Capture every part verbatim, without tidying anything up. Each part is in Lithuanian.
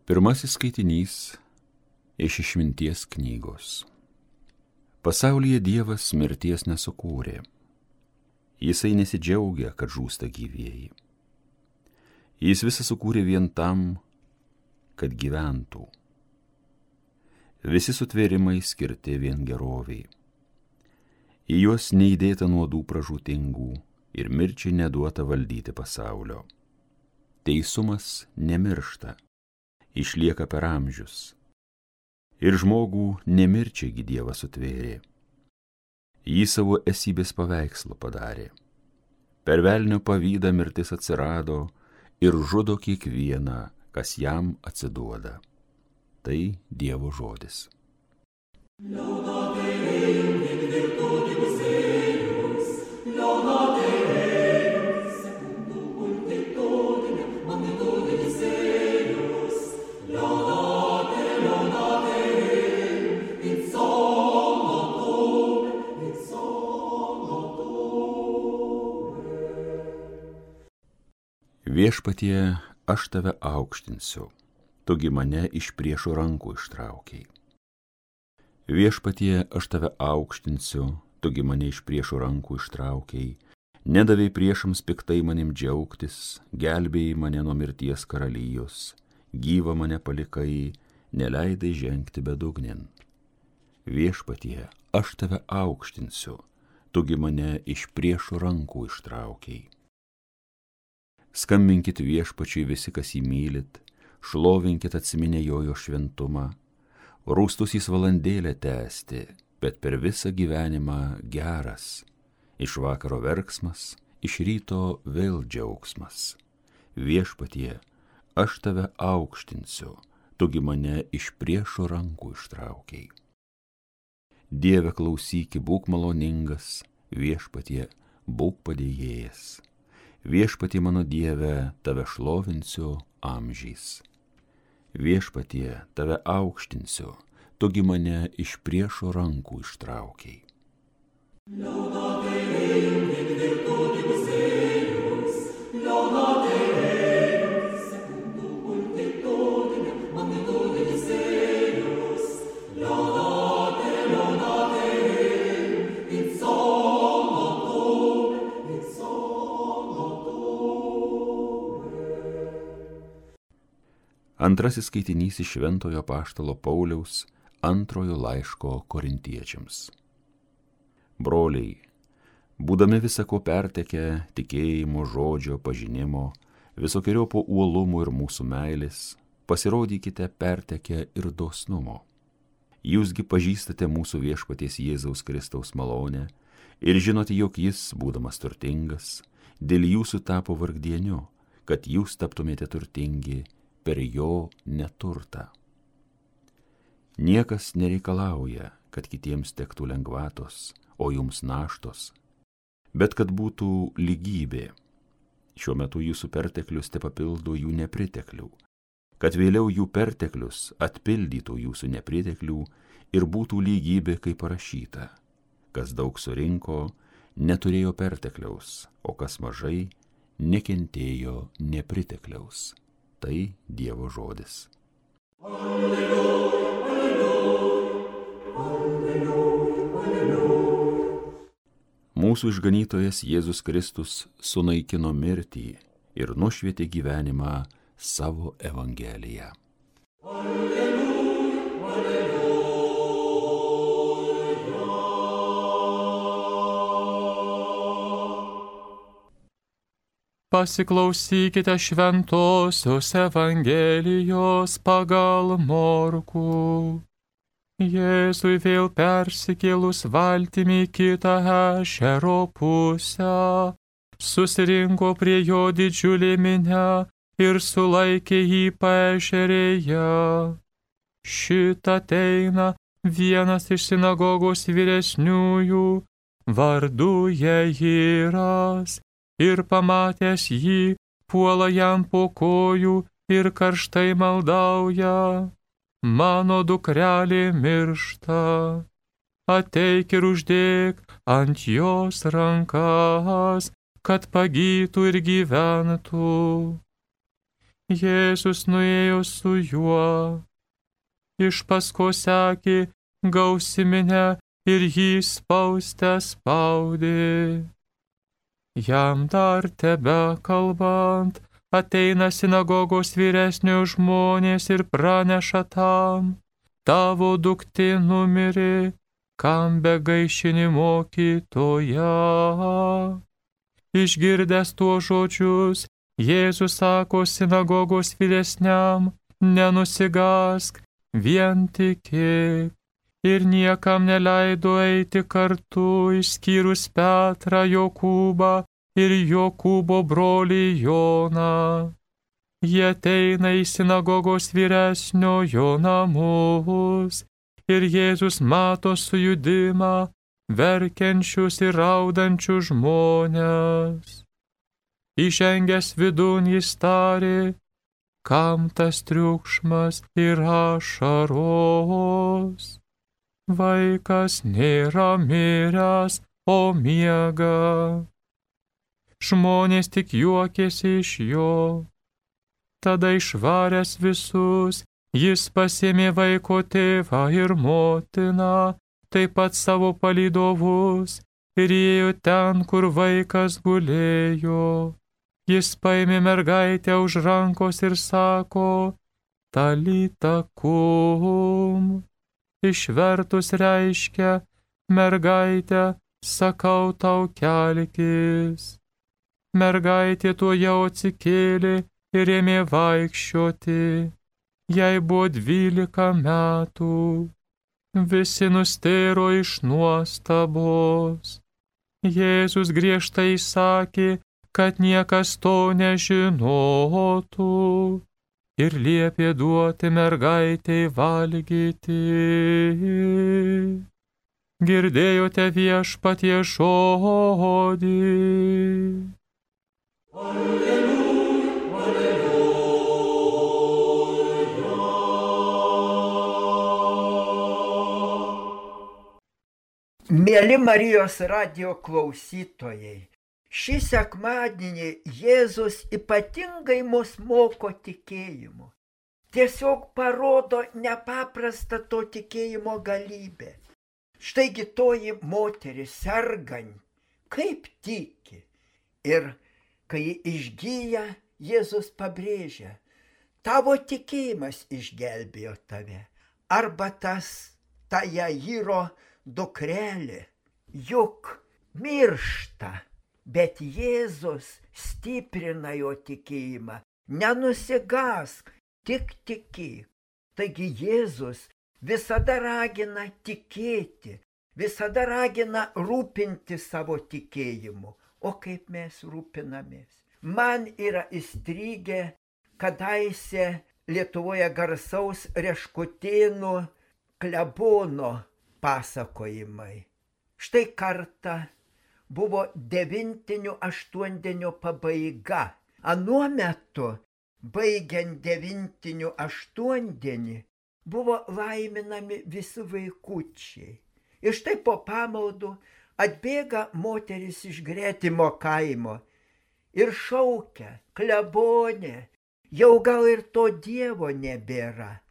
Pirmasis skaitinys iš Išminties knygos. Pasaulyje Dievas mirties nesukūrė. Jisai nesidžiaugia, kad žūsta gyvieji. Jis visą sukūrė vien tam, kad gyventų. Visi sutvėrimai skirti vien geroviai. Į juos neįdėta nuodų pražūtingų ir mirčiai neduota valdyti pasaulio. Teisumas nemiršta, išlieka per amžius. Ir žmogų nemirčiagi Dievas sutvėrė. Jį savo esybės paveikslu padarė. Per velnio pavydą mirtis atsirado ir žudo kiekvieną, kas jam atsiduoda. Tai Dievo žodis. Viešpatie, aš tave aukštinsiu, tugi mane iš priešų rankų ištraukiai. Viešpatie, aš tave aukštinsiu, tugi mane iš priešų rankų ištraukiai, nedavei priešams piktai manim džiaugtis, gelbėjai mane nuo mirties karalijos, gyvą mane palikai, neleidai žengti bedugnin. Viešpatie, aš tave aukštinsiu, tugi mane iš priešų rankų ištraukiai. Skambinkit Viešpačiui visi, kas jį mylit, šlovinkit atsiminę jojo šventumą, rūstus jis valandėlę tęsti, bet per visą gyvenimą geras, iš vakaro verksmas, iš ryto vėl džiaugsmas. Viešpatie, aš tave aukštinsiu, tugi mane iš priešo rankų ištraukiai. Dieve, klausyki, būk maloningas, Viešpatie, būk padėjėjas. Viešpatie mano Dieve, tave šlovinsiu amžiais. Viešpatie, tave aukštinsiu, tugi mane iš priešo rankų ištraukiai. Antrasis skaitinys iš Šventojo apaštalo Pauliaus antrojo laiško Korintiečiams. Broliai, būdami visako pertekę tikėjimo, žodžio, pažinimo, visokiojopo uolumo ir mūsų meilės, pasirodykite pertekę ir dosnumo. Jūsgi pažįstate mūsų Viešpaties Jėzaus Kristaus malonę ir žinote, jog jis, būdamas turtingas, dėl jūsų tapo vargdieniu, kad jūs taptumėte turtingi per jo neturtą. Niekas nereikalauja, kad kitiems tektų lengvatos, o jums naštos, bet kad būtų lygybė. Šiuo metu jūsų perteklius te papildo jų nepriteklių, kad vėliau jų perteklius atpildytų jūsų nepriteklių ir būtų lygybė, kaip parašyta. Kas daug surinko, neturėjo pertekliaus, o kas mažai, nekentėjo nepritekliaus. Tai Dievo žodis. Alleluja, alleluja, alleluja, alleluja. Mūsų išganytojas Jėzus Kristus sunaikino mirtį ir nušvietė gyvenimą savo evangeliją. Alleluja, alleluja. Pasiklausykite šventosios Evangelijos pagal Morkų. Jėzui vėl persikėlus valtimi kitą ežero pusę, susirinko prie jo didžiulė minia ir sulaikė jį paežerėje. Šitą ateina vienas iš sinagogos vyresniųjų, vardu Jairas, ir pamatęs jį, puola jam po kojų ir karštai maldauja: mano dukrelė miršta, ateik ir uždėk ant jos rankas, kad pagytų ir gyventų. Jėzus nuėjo su juo. Iš paskos sekė gausi minia ir jį spaustę spaudė. Jam dar tebe kalbant, ateina sinagogos vyresnio žmonės ir praneša tam: tavo duktė numirė, kam begaišini mokytoją. Išgirdęs tuos žodžius, Jėzus sako sinagogos vyresniam: nenusigąsk, vien tikėk. Ir niekam neleido eiti kartu, išskyrus Petrą, Jokūbą ir Jokūbo brolį Joną. Jie ateina į sinagogos vyresniojo namus, ir Jėzus mato sujudimą, verkiančius ir raudančius žmones. Įžengęs vidun jis tarė: kam tas triukšmas ir ašaros? Vaikas nėra miręs, o miega. Žmonės tik juokėsi iš jo. Tada išvaręs visus, jis pasiėmė vaiko tėvą ir motiną, taip pat savo palydovus, ir ėjo ten, kur vaikas gulėjo. Jis paėmė mergaitę už rankos ir sako: talita kum. Išvertus reiškia: mergaitė, sakau tau, kelkis. Mergaitė tuojau atsikėlė ir ėmė vaikščioti. Jai buvo dvylika metų. Visi nustėro iš nuostabos. Jėzus griežtai sakė, kad niekas to nežinotų, ir liepė duoti mergaitei valgyti. Girdėjote viešpatie žodį. Alleluja, alleluja. Mėly Marijos radijo klausytojai, šį sekmadienį Jėzus ypatingai mus moko tikėjimu. Tiesiog parodo nepaprastą to tikėjimo galybę. Štaigi toji moteris sergant, kaip tiki. Ir kai ji išgyja, Jėzus pabrėžia: tavo tikėjimas išgelbėjo tave. Arba tas, ta Jairo dukrelė, juk miršta. Bet Jėzus stiprina jo tikėjimą. Nenusigąsk, tik tikėk. Taigi Jėzus visada ragina tikėti, visada ragina rūpinti savo tikėjimu. O kaip mes rūpinamės? Man yra įstrigę kadaise Lietuvoje garsaus Reškutėnų klebono pasakojimai. Štai kartą buvo devintinių aštuondienio pabaiga. Anuo metu, baigiant devintinių aštuondienį, buvo laiminami visi vaikučiai. Ir štai po pamaldų atbėga moteris iš gretimo kaimo ir šaukia: klebonė, jau gal ir to Dievo nebėra.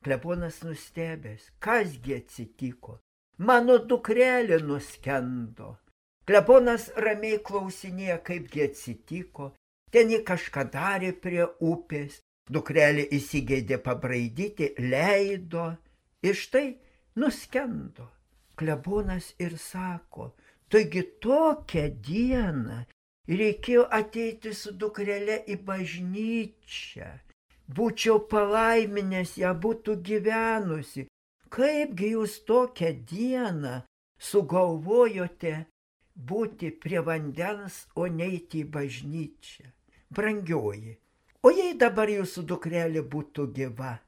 Klebonas nustebęs: kasgi atsitiko? Mano dukrelė nuskendo. Klebonas ramiai klausinėja, kaipgi atsitiko. Ten ji kažką darė prie upės, dukrelė įsigeidė pabraidyti, leido ir štai nuskendo. Klebonas ir sako: taigi tokią dieną reikėjo ateiti su dukrele į bažnyčią. Būčiau palaiminęs, ją būtų gyvenusi. Kaipgi jūs tokią dieną sugalvojote būti prie vandens, o neiti į bažnyčią? Brangioji, o jei dabar jūsų dukrelė būtų gyva?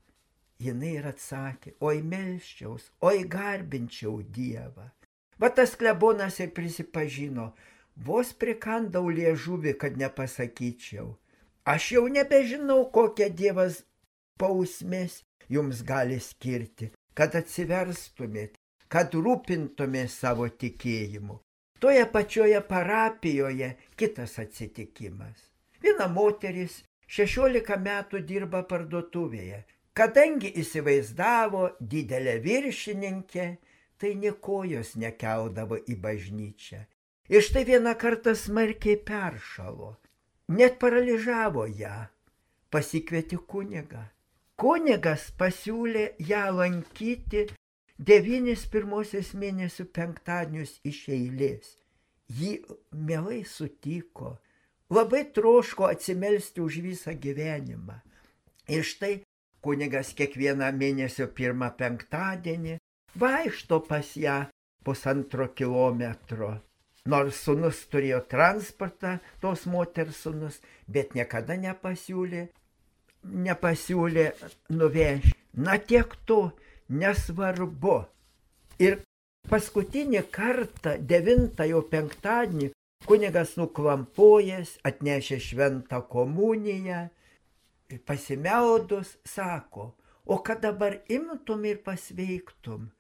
Jinai ir atsakė: oi melsčiaus, oi garbinčiau Dievą. Va tas klebonas ir prisipažino: vos prikandau liežuvį, kad nepasakyčiau. Aš jau nebežinau, kokią Dievas bausmės jums gali skirti, kad atsiverstumėt, kad rūpintumės savo tikėjimu. Toje pačioje parapijoje kitas atsitikimas. Viena moteris šešiolika metų dirba parduotuvėje. Kadangi įsivaizdavo didelę viršininkę, tai nė kojos nekeldavo į bažnyčią. Ir štai vieną kartą smarkiai peršalo, net paralyžavo ją, pasikvietė kunigą. Kunigas pasiūlė ją lankyti devynis pirmosios mėnesių penktadienius iš eilės. Ji mielai sutiko, labai troško atsimelsti už visą gyvenimą. Ir štai kunigas kiekvieną mėnesio pirmą penktadienį vaikšto pas ją pusantro kilometro. Nors sūnus turėjo transportą, tos moters sūnus, bet niekada nepasiūlė, nepasiūlė nuvežti. Na tiek to, nesvarbu. Ir paskutinį kartą, devintąjį penktadienį, kunigas nuklampojęs, atnešė šventą komuniją, pasimeldus, sako, o kad dabar imtum ir pasveiktum,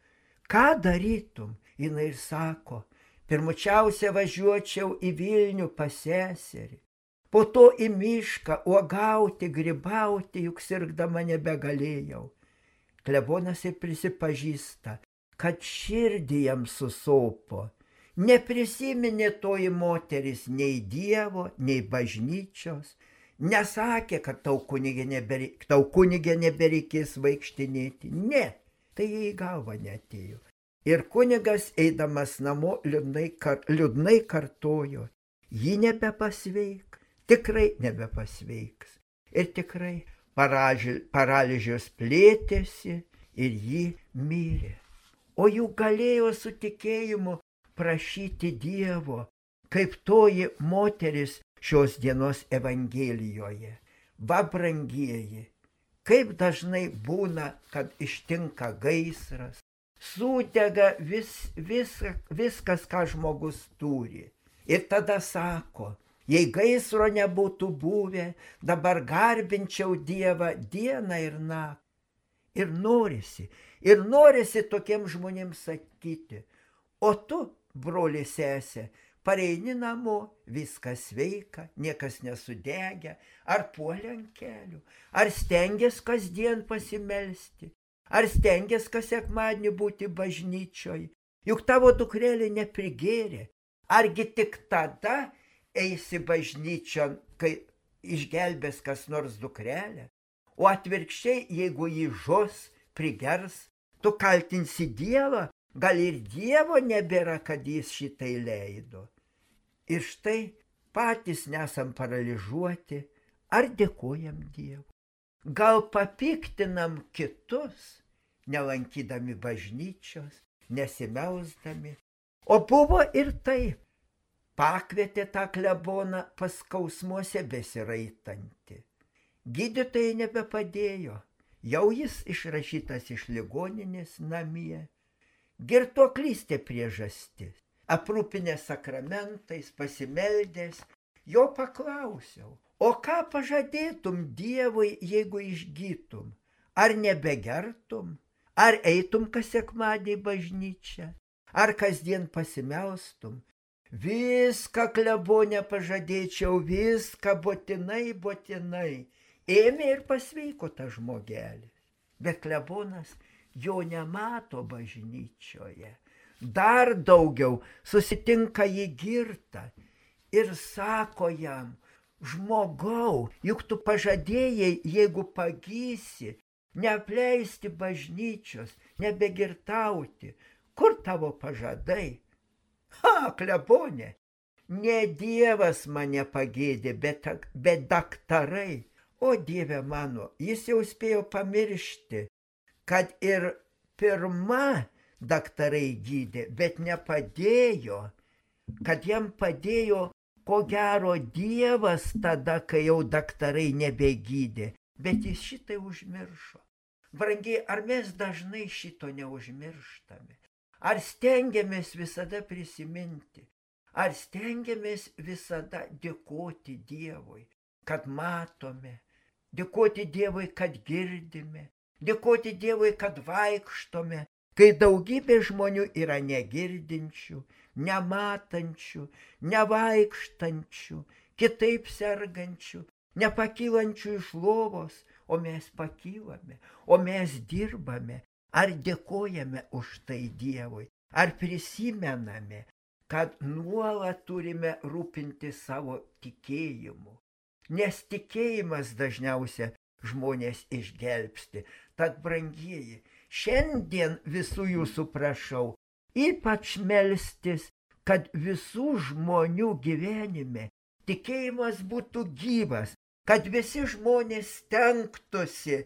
ką darytum? Jinai ir sako, pirmučiausia važiuočiau į Vilnių pas seserį, po to į mišką uogauti, grybauti, juk sirgdama nebegalėjau. Klebonas ir prisipažįsta, kad širdį jam susopo. Neprisiminė toji moteris nei Dievo, nei bažnyčios. Nesakė, kad tau kunigė nebere, tau kunigė nebereikės vaikštinėti. Ne, tai jai į galvą neatėjo. Ir kunigas, eidamas namo, liūdnai, kar, liūdnai kartojo, ji nebepasveik, tikrai nebepasveiks. Ir tikrai paralyžius plėtėsi ir ji mirė. O juk galėjo su tikėjimu prašyti Dievo, kaip toji moteris šios dienos Evangelijoje. Va, brangieji, kaip dažnai būna, kad ištinka gaisras, sudega vis, vis, viskas, ką žmogus turi. Ir tada sako, jei gaisro nebūtų buvę, dabar garbinčiau Dievą dieną ir naktį. Ir norisi, ir norisi tokiems žmonėms sakyti, o tu, broli sesė, pareini namo, viskas sveika, niekas nesudegė, ar puolė ant kelių, ar stengiasi kasdien pasimelsti, ar stengiasi kas sekmadienį būti bažnyčioj, juk tavo dukrelė neprigėrė, argi tik tada eisi bažnyčion, kai išgelbės kas nors dukrelę, o atvirkščiai, jeigu jį žos, prigers, tu kaltinsi Dievą, gal ir Dievo nebėra, kad jis šitai leido. Ir štai patys nesam paralyžiuoti, ar dėkojam Dievui. Gal papiktinam kitus, nelankydami bažnyčios, nesimeldami. O buvo ir taip. Pakvietė tą kleboną pas skausmuose besiraitantį. Gydytojai nebepadėjo, jau jis išrašytas iš ligoninės namie. Girtuoklystė priežastis. Aprūpinęs sakramentais, pasimeldęs, jo paklausiau, o ką pažadėtum Dievui, jeigu išgytum? Ar nebegertum? Ar eitum kas sekmadienį į bažnyčią? Ar kasdien pasimelstum? Viską, klebone, pažadėčiau, viską, būtinai, būtinai. Ėmė ir pasveiko tas žmogelis. Bet klebonas jo nemato bažnyčioje. Dar daugiau susitinka jį girtą ir sako jam, žmogau, juk tu pažadėjai, jeigu pagysi, neapleisti bažnyčios, nebegirtauti. Kur tavo pažadai? Ha, klebonė, ne Dievas mane pagėdė, bet, bet daktarai. O Dieve mano, jis jau spėjo pamiršti, kad ir pirma daktarai gydė, bet nepadėjo, kad jam padėjo, ko gero, Dievas tada, kai jau daktarai nebegydė, bet jis šitai užmiršo. Brangiai, ar mes dažnai šito neužmirštame? Ar stengiamės visada prisiminti? Ar stengiamės visada dėkoti Dievui, kad matome? Dėkoti Dievui, kad girdime, dėkoti Dievui, kad vaikštome, kai daugybė žmonių yra negirdinčių, nematančių, nevaikštančių, kitaip sergančių, nepakylančių iš lovos, o mes pakylame, o mes dirbame. Ar dėkojame už tai Dievui, ar prisimename, kad nuolat turime rūpinti savo tikėjimu. Nes tikėjimas dažniausia žmonės išgelbsti. Tad, brangieji, šiandien visų jūsų prašau, ypač melstis, kad visų žmonių gyvenime tikėjimas būtų gyvas, kad visi žmonės stengtųsi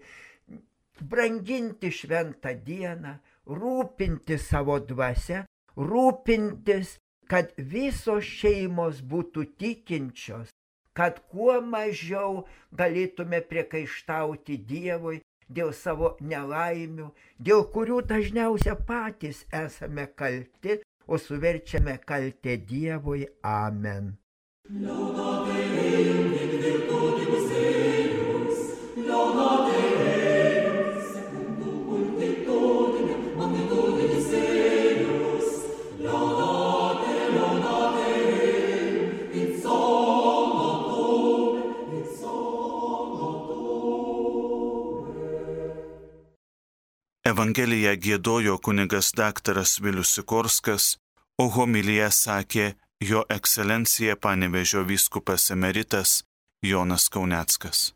branginti šventą dieną, rūpinti savo dvasia, rūpintis, kad visos šeimos būtų tikinčios, kad kuo mažiau galėtume priekaištauti Dievui dėl savo nelaimių, dėl kurių dažniausiai patys esame kalti, o suverčiame kaltę Dievui. Amen. Evangeliją giedojo kunigas daktaras Vilius Sikorskas, o homiliją sakė jo ekscelencija Panevėžio vyskupas emeritas Jonas Kauneckas.